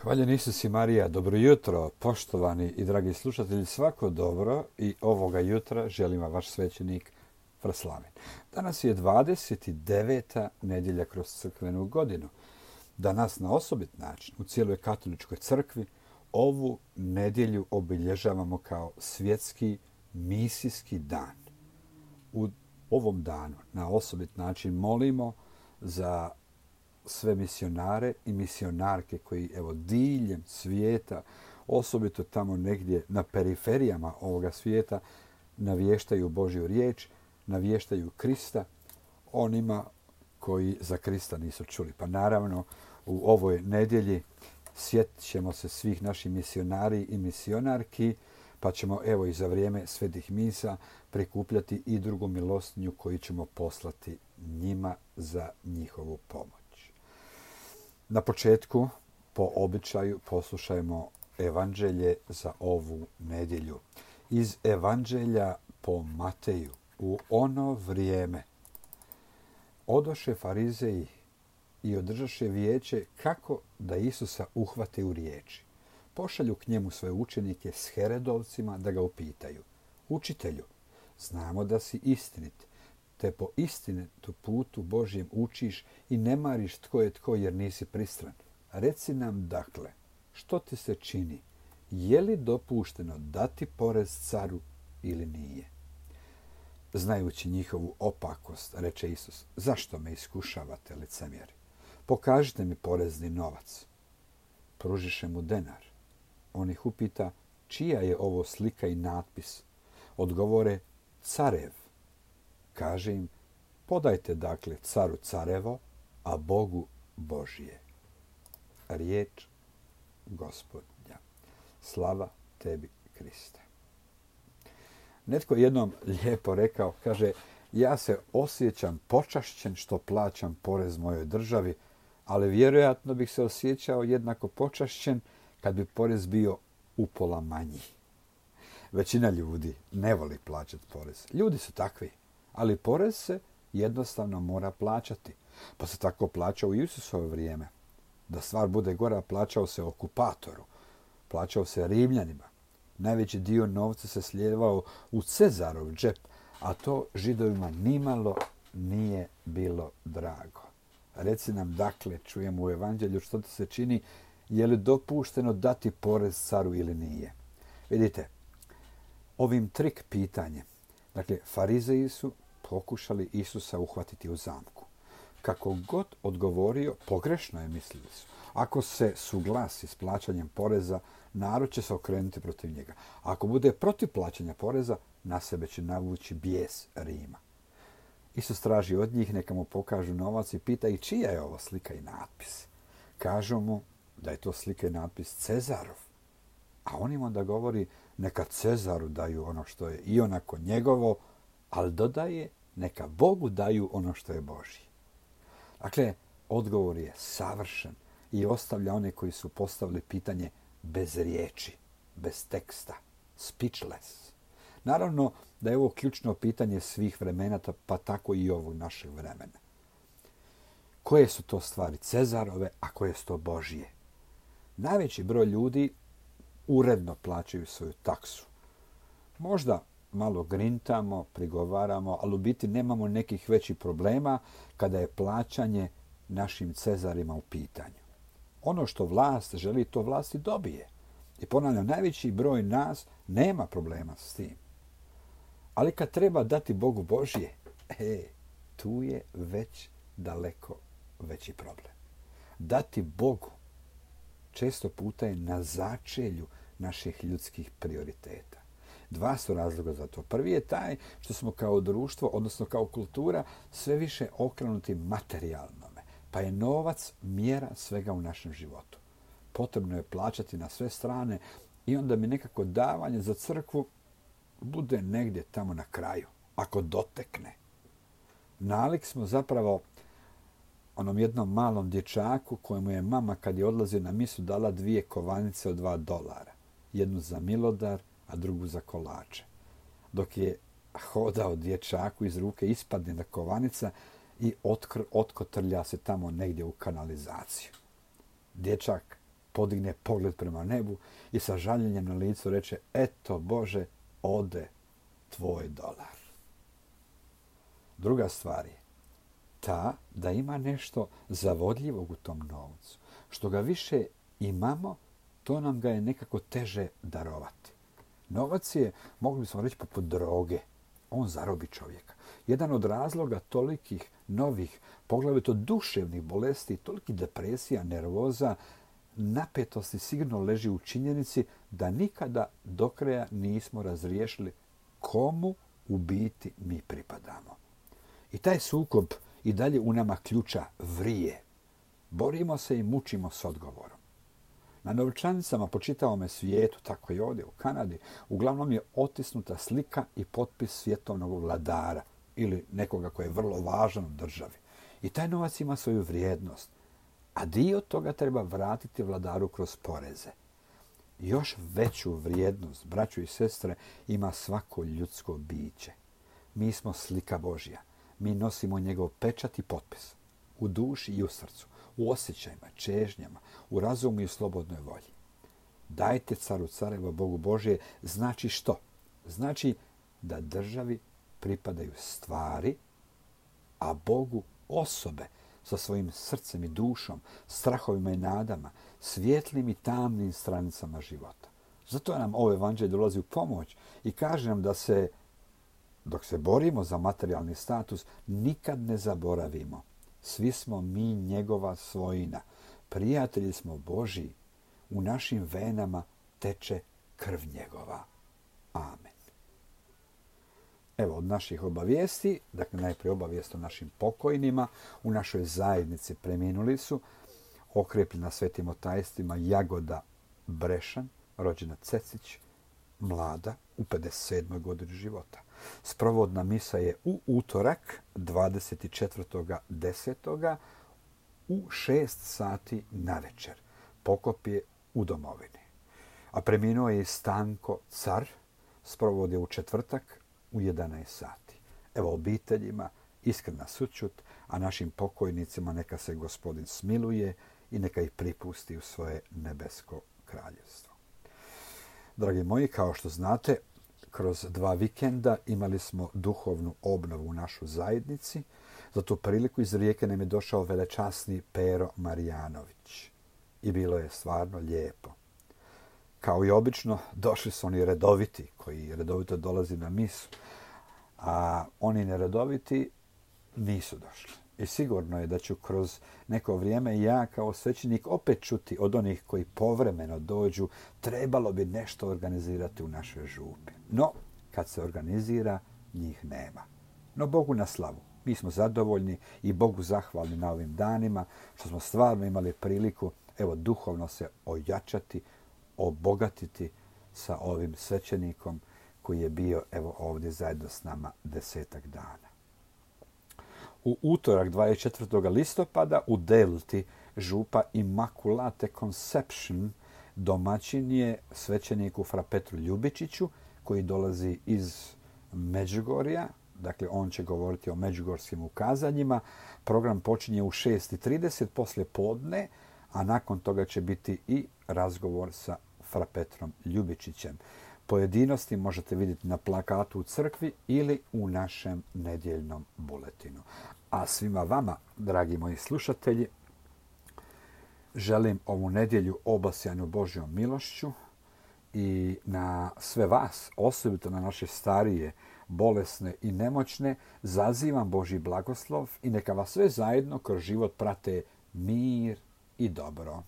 Hvaljen Isus i Marija, dobro jutro, poštovani i dragi slušatelji, svako dobro i ovoga jutra želim vam vaš svećenik Vraslaven. Danas je 29. nedjelja kroz crkvenu godinu. Danas na osobit način u cijeloj katoličkoj crkvi ovu nedjelju obilježavamo kao svjetski misijski dan. U ovom danu na osobit način molimo za sve misionare i misionarke koji diljem svijeta, osobito tamo negdje na periferijama ovoga svijeta, navještaju Božju riječ, navještaju Krista onima koji za Krista nisu čuli. Pa naravno u ovoj nedjelji sjetit ćemo se svih naših misionari i misionarki, pa ćemo i za vrijeme svetih misa prikupljati i drugu milostinju koju ćemo poslati njima za njihovu pomoć. Na početku, po običaju, poslušajmo evanđelje za ovu nedjelju. Iz evanđelja po Mateju. U ono vrijeme odoše farizeji i održaše vijeće kako da Isusa uhvate u riječi. Pošalju k njemu svoje učenike s Herodovcima da ga upitaju. Učitelju, znamo da si istinit, te po istinitu putu Božjem učiš i ne mariš tko je tko jer nisi pristran. Reci nam dakle, što ti se čini? Je li dopušteno dati porez caru ili nije? Znajući njihovu opakost, reče Isus, zašto me iskušavate, licemjeri? Pokažite mi porezni novac. Pružiše mu denar. On ih upita, čija je ovo slika i natpis? Odgovore, carev. Kaže im, podajte dakle caru carevo, a Bogu Božje. Riječ Gospodnja. Slava tebi, Kriste. Netko jednom lijepo rekao, kaže, ja se osjećam počašćen što plaćam porez mojoj državi, ali vjerojatno bih se osjećao jednako počašćen kad bi porez bio upola manji. Većina ljudi ne voli plaćati porez. Ljudi su takvi. Ali porez se jednostavno mora plaćati. Pa se tako plaća u Isusovo vrijeme. Da stvar bude gora, plaćao se okupatoru. Plaćao se Rimljanima. Najveći dio novca se slijevao u Cezarov džep, a to Židovima nimalo nije bilo drago. Reci nam dakle, čujemo u evanđelju, što ti se čini, je li dopušteno dati porez caru ili nije? Vidite, ovim trik pitanjem, dakle, farizeji su pokušali Isusa uhvatiti u zamku. Kako god odgovorio, pogrešno je, mislili su. Ako se suglasi s plaćanjem poreza, narod će se okrenuti protiv njega. Ako bude protiv plaćanja poreza, na sebe će navući bijes Rima. Isus traži od njih neka mu pokažu novac i pita i čija je ovo slika i natpis. Kažu mu da je to slika i natpis Cezarov. A on im onda govori neka Cezaru daju ono što je i onako njegovo, ali dodaje neka Bogu daju ono što je Božje. Dakle, odgovor je savršen i ostavlja one koji su postavili pitanje bez riječi, bez teksta, speechless. Naravno da je ovo ključno pitanje svih vremena, pa tako i ovog našeg vremena. Koje su to stvari Cezarove, a koje su to Božje? Najveći broj ljudi uredno plaćaju svoju taksu. Možda malo grintamo, prigovaramo, ali u biti nemamo nekih većih problema kada je plaćanje našim Cezarima u pitanju. Ono što vlast želi, to vlast i dobije. I ponavljam, najveći broj nas nema problema s tim. Ali kad treba dati Bogu Božje, tu je već daleko veći problem. Dati Bogu često puta je na začelju naših ljudskih prioriteta. Dva su razloga za to. Prvi je taj što smo kao društvo, odnosno kao kultura, sve više okrenuti materijalnome. Pa je novac mjera svega u našem životu. Potrebno je plaćati na sve strane i onda mi nekako davanje za crkvu bude negdje tamo na kraju, ako dotekne. Nalik smo zapravo onom jednom malom dječaku kojemu je mama kad je odlazio na misu dala 2 kovanice od $2. Jednu za milodar, a drugu za kolače. Dok je hodao dječaku iz ruke, ispadne na kovanica i otkotrlja se tamo negdje u kanalizaciju. Dječak podigne pogled prema nebu i sa žaljenjem na licu reče: eto Bože, ode tvoj dolar. Druga stvar je ta da ima nešto zavodljivog u tom novcu. Što ga više imamo, to nam ga je nekako teže darovati. Novac je, mogli bismo reći, poput droge. On zarobi čovjeka. Jedan od razloga tolikih novih, poglavito duševnih bolesti, tolikih depresija, nervoza, napetosti sigurno leži u činjenici da nikada do kraja nismo razriješili komu u biti mi pripadamo. I taj sukob i dalje u nama ključa vrije. Borimo se i mučimo s odgovorom. Na novčanicama po čitavome svijetu, tako i ovdje u Kanadi, uglavnom je otisnuta slika i potpis svjetovnog vladara ili nekoga koji je vrlo važan u državi. I taj novac ima svoju vrijednost, a dio toga treba vratiti vladaru kroz poreze. Još veću vrijednost, braćo i sestre, ima svako ljudsko biće. Mi smo slika Božja. Mi nosimo njegov pečat i potpis u duši i u srcu, u osjećajima, čežnjama, u razumu i u slobodnoj volji. Dajte caru careva Bogu Božje znači što? Znači da državi pripadaju stvari, a Bogu osobe sa svojim srcem i dušom, strahovima i nadama, svijetlim i tamnim stranicama života. Zato nam ovo evanđelje dolazi u pomoć i kaže nam da se, dok se borimo za materijalni status, nikad ne zaboravimo. Svi smo mi njegova svojina. Prijatelji smo Božji. U našim venama teče krv njegova. Amen. Evo od naših obavijesti, dakle najprije obavijest o našim pokojnima. U našoj zajednici preminuli su okrepljena svetim otajstvima Jagoda Brešan, rođena Cecić, mlada, u 57. godini života. Sprovodna misa je u utorak 24.10. u 6 sati na večer. Pokop je u domovini. A preminuo je i Stanko Car, sprovod je u četvrtak u 11 sati. Evo obiteljima iskrena sućut, a našim pokojnicima neka se Gospodin smiluje i neka ih pripusti u svoje nebesko kraljevstvo. Dragi moji, kao što znate, kroz 2 vikenda imali smo duhovnu obnovu u našoj zajednici. Za tu priliku iz Rijeke nam je došao velečasni Pero Marijanović. I bilo je stvarno lijepo. Kao i obično, došli su oni redoviti, koji redovito dolazi na misu, a oni neredoviti nisu došli. I sigurno je da ću kroz neko vrijeme ja kao svećenik opet čuti od onih koji povremeno dođu, trebalo bi nešto organizirati u našoj župi. No, kad se organizira, njih nema. No, Bogu na slavu. Mi smo zadovoljni i Bogu zahvalni na ovim danima, što smo stvarno imali priliku, evo, duhovno se ojačati, obogatiti sa ovim svećenikom koji je bio, evo, ovdje zajedno s nama 10 dana. U utorak 24. listopada u Delti župa Immaculate Conception domaćin je svećeniku Fra Petru Ljubičiću koji dolazi iz Međugorja. Dakle, on će govoriti o međugorskim ukazanjima. Program počinje u 6:30 poslije podne, a nakon toga će biti i razgovor sa Fra Petrom Ljubičićem. Pojedinosti možete vidjeti na plakatu u crkvi ili u našem nedjeljnom buletinu. A svima vama, dragi moji slušatelji, želim ovu nedjelju obasjanu Božjom milošću i na sve vas, osobito na naše starije, bolesne i nemoćne, zazivam Božji blagoslov i neka vas sve zajedno kroz život prate mir i dobro.